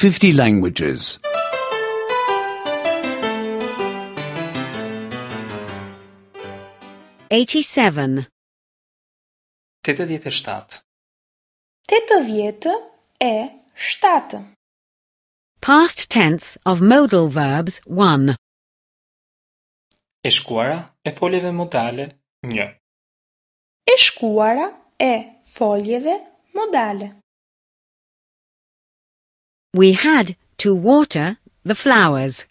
50 languages. 87. 87. 87. Past tense of modal verbs 1. E shkuara e foljeve modale 1. E shkuara e foljeve modale. We had to water the flowers.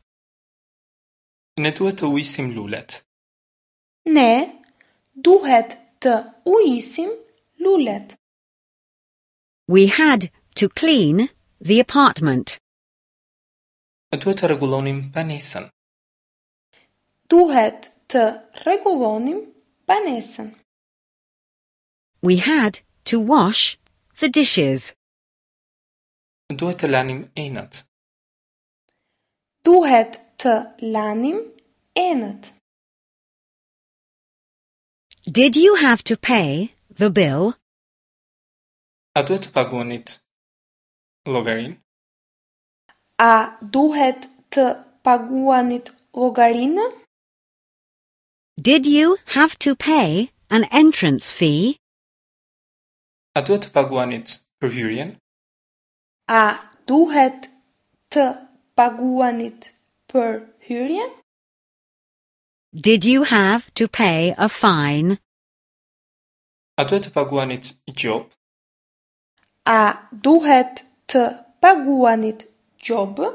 Ne duhet të ujisim lulet. Ne duhet të ujisim lulet. We had to clean the apartment. Duhet të rregullonim banesën. Duhet të rregullonim banesën. We had to wash the dishes. Duhet të lanim enët. Duhet të lanim enët. Did you have to pay the bill? A duhet të paguanit llogarinë? A duhet të paguanit llogarinë? Did you have to pay an entrance fee? A duhet të paguanit për hyrjen? A duhet të paguanit për hyrjen? Did you have to pay a fine? A duhet të paguanit gjobë? A duhet të paguanit gjobë?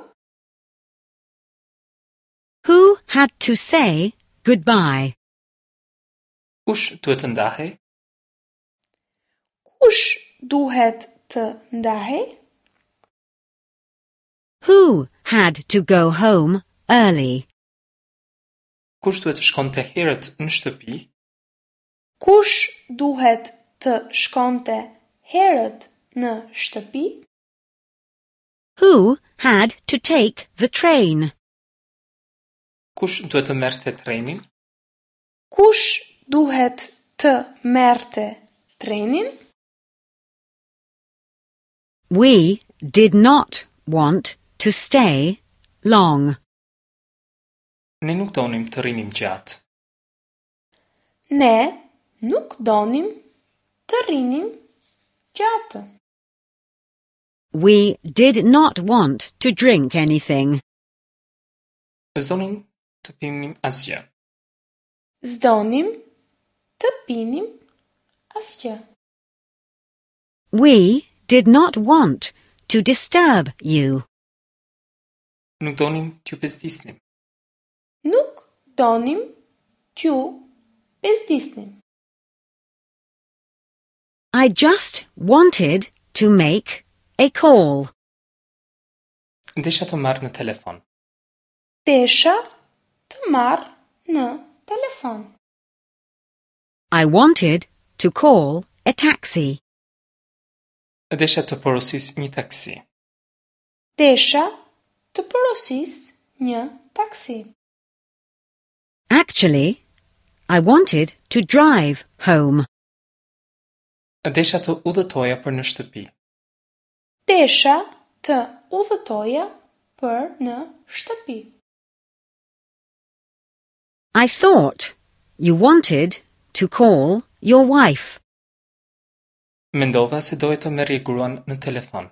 Who had to say goodbye? Kush duhet të ndahej? Kush duhet të ndahej? Who had to go home early? Kush duhet të shkonte herët në shtëpi? Kush duhet të shkonte herët në shtëpi? Who had to take the train? Kush duhet të merrte trenin? Kush duhet të merrte trenin? We did not want to stay long. Ne nuk donim të rrinim gjatë. Ne nuk donim të rrinim gjatë. We did not want to drink anything. S'donim të pinim asgjë. S'donim të pinim asgjë. We did not want to disturb you. Nuk donim t'ju bezdisnim. Nuk donim t'ju bezdisnim. I just wanted to make a call. Desha të marr në telefon. Desha të marr në telefon. I wanted to call a taxi. Desha të porosis një taksi. Desha të porosis një taksi. Actually, I wanted to drive home. Desha të udhëtoja për në shtëpi. Desha të udhëtoja për në shtëpi. I thought you wanted to call your wife. Mendova se doje të merrje gruan në telefon.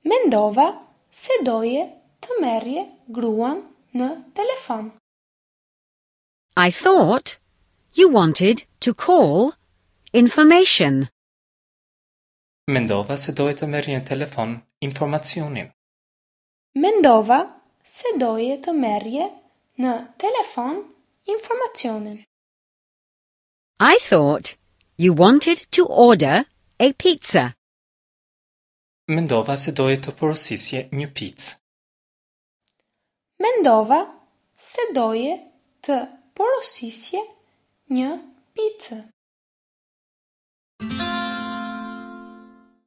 Mendova se doje të merrje gruan në telefon. I thought you wanted to call information. Mendova se doje të merrje në telefon informacionin. Mendova se doje të merrje në telefon informacionin. I thought you wanted to order a pizza. Mendova se doje të porosisje një picë. Mendova se doje të porosisje një picë.